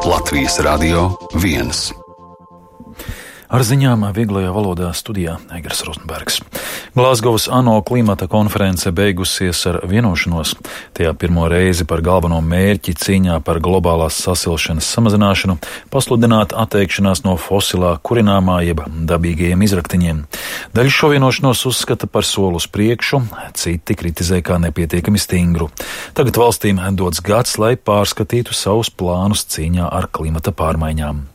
Latvijas Radio 1. Ar ziņām vieglajā valodā studijā Egers Rozenbergs. Glāzgovas ANO klimata konference beigusies ar vienošanos. Tajā pirmo reizi par galveno mērķi cīņā par globālās sasilšanas samazināšanu pasludināt atteikšanās no fosilā kurināmā jeb dabīgajiem izraktiņiem. Daļa šo vienošanos uzskata par soli uz priekšu, citi kritizē kā nepietiekami stingru. Tagad valstīm dots gads, lai pārskatītu savus plānus cīņā ar klimata pārmaiņām.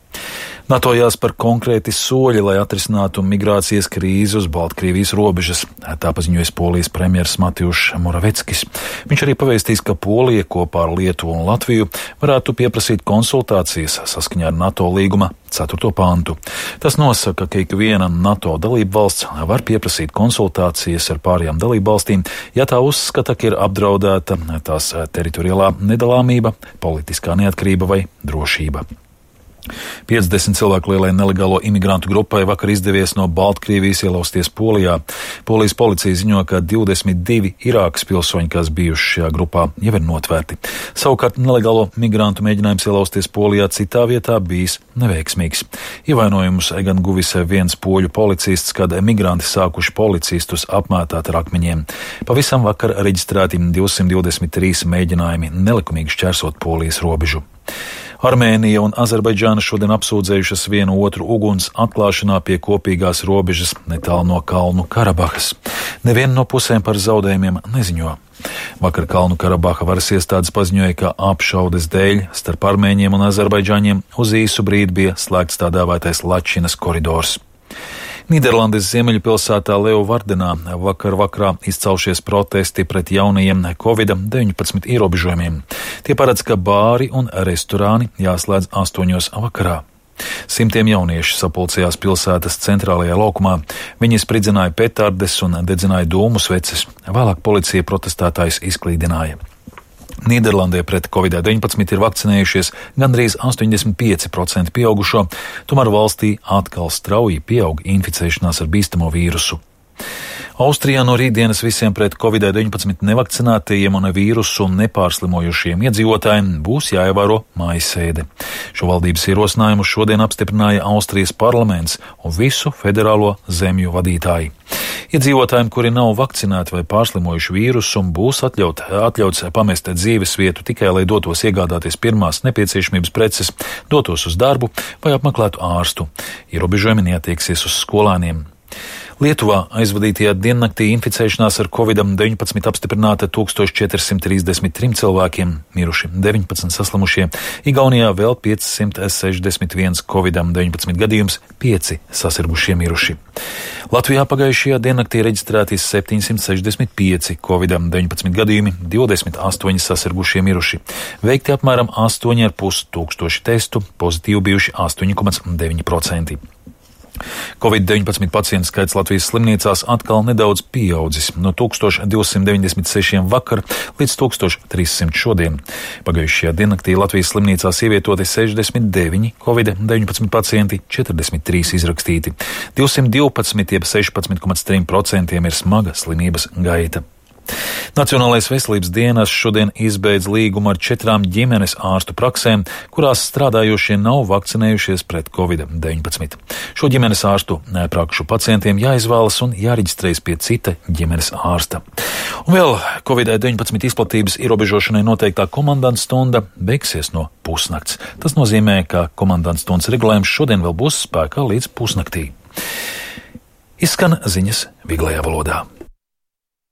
NATO jāspēr konkrēti soļi, lai atrisinātu migrācijas krīzi uz Baltkrievijas robežas, tā paziņoja Polijas premjers Mateusz Moraveckis. Viņš arī pavēstīs, ka Polija kopā ar Lietuvu un Latviju varētu pieprasīt konsultācijas saskaņā ar NATO līguma 4. pantu. Tas nosaka, ka ikviena NATO dalība valsts var pieprasīt konsultācijas ar pārējām dalību valstīm, ja tā uzskata, ka ir apdraudēta tās teritoriālā nedalāmība, politiskā neatkarība vai drošība. 50 cilvēku lielai nelegālo imigrantu grupai vakar izdevies no Baltkrievijas ielausties Polijā. Polijas policija ziņo, ka 22 Irākas pilsoņi, kas bijuši šajā grupā, jau ir notvērti. Savukārt nelegālo migrantu mēģinājums ielausties Polijā citā vietā bijis neveiksmīgs. Ievainojumus gan guvis viens poļu policists, kad migranti sākuši policistus apmētāt ar akmeņiem. Pavisam vakar reģistrēti 223 mēģinājumi nelikumīgi šķērsot Polijas robežu. Armēnija un Azerbaidžāna šodien apsūdzējušas vienu otru uguns atklāšanā pie kopīgās robežas netālu no Kalnu Karabahas. Neviena no pusēm par zaudējumiem neziņo. Vakar Kalnu Karabaha varas iestādes paziņoja, ka apšaudes dēļ starp armēņiem un azerbaidžāņiem uz īsu brīdi bija slēgts tā dēvētais Lačinas koridors. Nīderlandes ziemeļu pilsētā Leeuwardenā vakarā izcelšies protesti pret jaunajiem Covid-19 ierobežojumiem. Tie paredz, ka bāri un restorāni jāslēdz 8 vakarā. Simtiem jauniešu sapulcējās pilsētas centrālajā laukumā. Viņi spridzināja petardes un dedzināja dūmu sveces. Vēlāk policija protestētājus izklīdināja. Nīderlandē pret Covid-19 ir vakcinējušies gandrīz 85% pieaugušo, tomēr valstī atkal strauji pieaug inficēšanās ar bīstamo vīrusu. Austrijā no rītdienas visiem pret Covid-19 nevakcinētajiem un vīrusu nepārslimojušiem iedzīvotājiem būs jāievēro mājasēde. Šo valdības ierosinājumu šodien apstiprināja Austrijas parlaments un visu federālo zemju vadītāji. Iedzīvotājiem, kuri nav vakcinēti vai pārslimojuši vīrusu, būs atļauts pamest dzīves vietu tikai, lai dotos iegādāties pirmās nepieciešamības preces, dotos uz darbu vai apmeklētu ārstu. Ierobežojumi neatieksies uz skolēniem. Lietuvā aizvadītajā diennaktī inficēšanās ar Covid-19 apstiprināta 1433 cilvēkiem, miruši 19 saslimušie, Igaunijā vēl 561 Covid-19 gadījums, 5 sasirgušie miruši. Latvijā pagājušajā diennaktī reģistrēti 765 Covid-19 gadījumi, 28 sasirgušie miruši. Veikti apmēram 8,5 tūkstoši testu, pozitīvi bijuši 8,9%. Covid-19 pacientu skaits Latvijas slimnīcās atkal nedaudz pieaudzis no 1296 vakar līdz 1300 šodien. Pagājušajā diennaktī Latvijas slimnīcās ievietoti 69 Covid-19 pacienti, 43 izrakstīti. 212, jeb 16,3% ir smaga slimības gaita. Nacionālais veselības dienests šodien izbeidz līgumu ar 4 ģimenes ārstu praksēm, kurās strādājošie nav vakcinējušies pret Covid-19. Šo ģimenes ārstu prakšu pacientiem jāizvēlas un jāreģistrējas pie cita ģimenes ārsta. Un vēl Covid-19 izplatības ierobežošanai noteiktā komandanta stunda beigsies no pusnakts. Tas nozīmē, ka komandanta stundas regulējums šodien vēl būs spēkā līdz pusnaktī. Izskan ziņas vieglajā valodā.